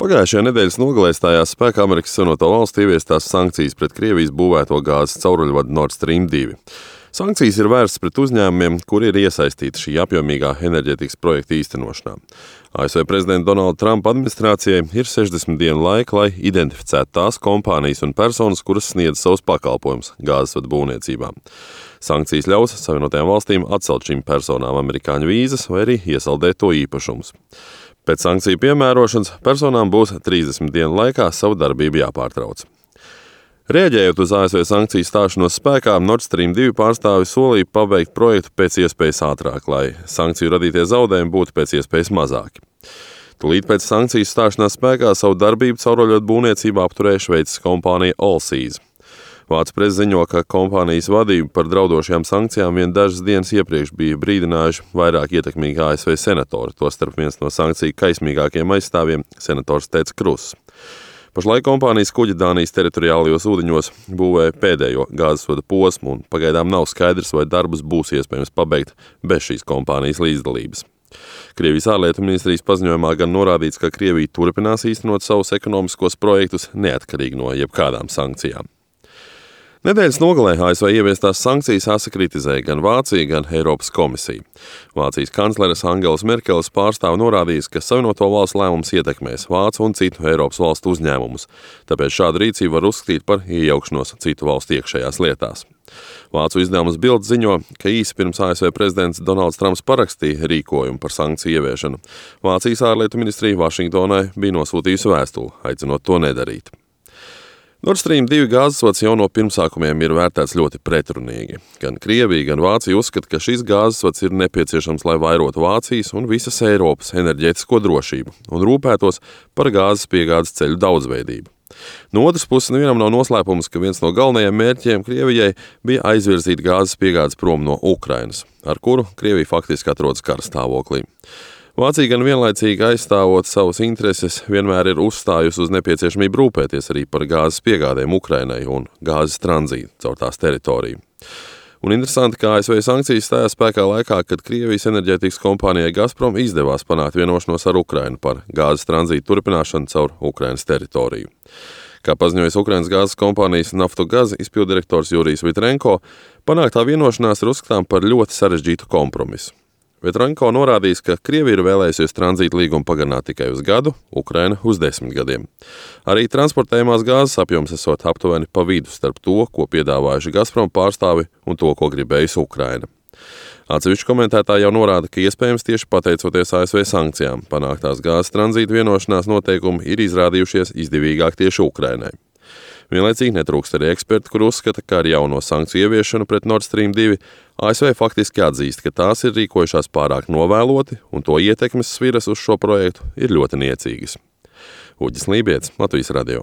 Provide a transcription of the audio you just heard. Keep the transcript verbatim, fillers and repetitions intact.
Pagājušajā nedēļas nogalē stājās spēkā Amerikas Savienoto Valstu ieviestās sankcijas pret Krievijas būvēto gāzes cauruļvadu Nord Stream divi. Sankcijas ir vērstas pret uzņēmumiem, kuri ir iesaistīti šī apjomīgā enerģētikas projekta īstenošanā. A S V prezidenta Donalda Trumpa administrācijai ir sešdesmit dienu laika, lai identificētu tās kompānijas un personas, kuras sniedz savus pakalpojumus gāzesvadu būvniecībā. Sankcijas ļaus Savienotajām valstīm atcelt šīm personām amerikāņu vīzas vai arī iesaldēt to īpašumus. Pēc sankciju piemērošanas personām būs trīsdesmit dienu laikā savu darbību jāpārtrauc. Rēģējot uz A S V sankciju stāšanos spēkā, Nord Stream divi pārstāvi solīja pabeigt projektu pēc iespējas ātrāk, lai sankciju radītie zaudējumi būtu pēc iespējas mazāki. Tūlīt pēc sankciju stāšanās spēkā savu darbību cauruļvadu būvniecībā apturēja Šveices kompānija Allseas. Vācu presa ziņo, ka kompānijas vadība par draudošajām sankcijām vien dažas dienas iepriekš bija brīdinājuši vairāk ietekmīgi A S V senatori, tostarp viens no sankciju kaismīgākiem aizstāvjiem - senators Teds Kruss. Pašlaik kompānijas kuģi Dānijas teritoriālajos ūdeņos būvē pēdējo gāzesvada posmu, un pagaidām nav skaidrs, vai darbus būs iespējams pabeigt bez šīs kompānijas līdzdalības. Krievijas ārlietu ministrijas paziņojumā gan norādīts, ka Krievija turpinās īstenot savus ekonomiskos projektus neatkarīgi no jebkādām sankcijām. Nedēļas nogalē A S V ieviestās sankcijas asi kritizēja gan Vācija, gan Eiropas komisija. Vācijas kancleres Angelas Merkeles pārstāve norādījis, ka Savienoto Valstu lēmums ietekmēs Vācu un citu Eiropas valstu uzņēmumus, tāpēc šādu rīcību var uzskatīt par iejaukšanos citu valstu iekšējās lietās. Vācu izdevums Bild ziņo, ka īsi pirms A S V prezidents Donalds Trumps parakstīja rīkojumu par sankciju ieviešanu, Vācijas ārlietu ministrija Vašingtonai bija nosūtījusi vēstuli, aicinot to nedarīt. Nord Stream divi gāzesvads jau no pirmsākumiem ir vērtēts ļoti pretrunīgi. Gan Krievija, gan Vācija uzskata, ka šis gāzesvads ir nepieciešams, lai vairotu Vācijas un visas Eiropas enerģētisko drošību un rūpētos par gāzes piegādes ceļu daudzveidību. No otras puses, nevienam nav noslēpums, ka viens no galvenajiem mērķiem Krievijai bija aizvirzīt gāzes piegādes prom no Ukrainas, ar kuru Krievija faktiski atrodas kara stāvoklī. Vācija gan vienlaicīgi aizstāvot savas intereses vienmēr ir uzstājusi uz nepieciešamību rūpēties arī par gāzes piegādēm Ukrainai un gāzes tranzītu caur tās teritoriju. Un interesanti, ka A S V sankcijas stājās spēkā laikā, kad Krievijas enerģētikas kompānijai Gazprom izdevās panākt vienošanos ar Ukrainu par gāzes tranzītu turpināšanu caur Ukrainas teritoriju. Kā paziņojas Ukrainas gāzes kompānijas Naftogaz izpilddirektors Jurijs Vitrenko, panāktā vienošanās ir uzskatām par ļoti sarežģītu kompromisu. Vitrenko norādījis, ka Krievija ir vēlējusies tranzīta līgumu pagarināt tikai uz gadu, Ukraina uz desmit gadiem. Arī transportējumās gāzes apjoms esot aptuveni pa vidu starp to, ko piedāvājuši Gazprom pārstāvi un to, ko gribējusi Ukraina. Atsevišķi komentētāji jau norāda, ka iespējams tieši pateicoties A S V sankcijām, panāktās gāzes tranzīta vienošanās noteikumi ir izrādījušies izdevīgāk tieši Ukrainai. Vienlaicīgi netrūkst arī eksperti, kur uzskata, ka ar jauno sankciju ieviešanu pret Nord Stream divi A S V faktiski atzīst, ka tās ir rīkojušās pārāk novēloti un to ietekmes sviras uz šo projektu ir ļoti niecīgas. Uģis Lībietis, Latvijas radio.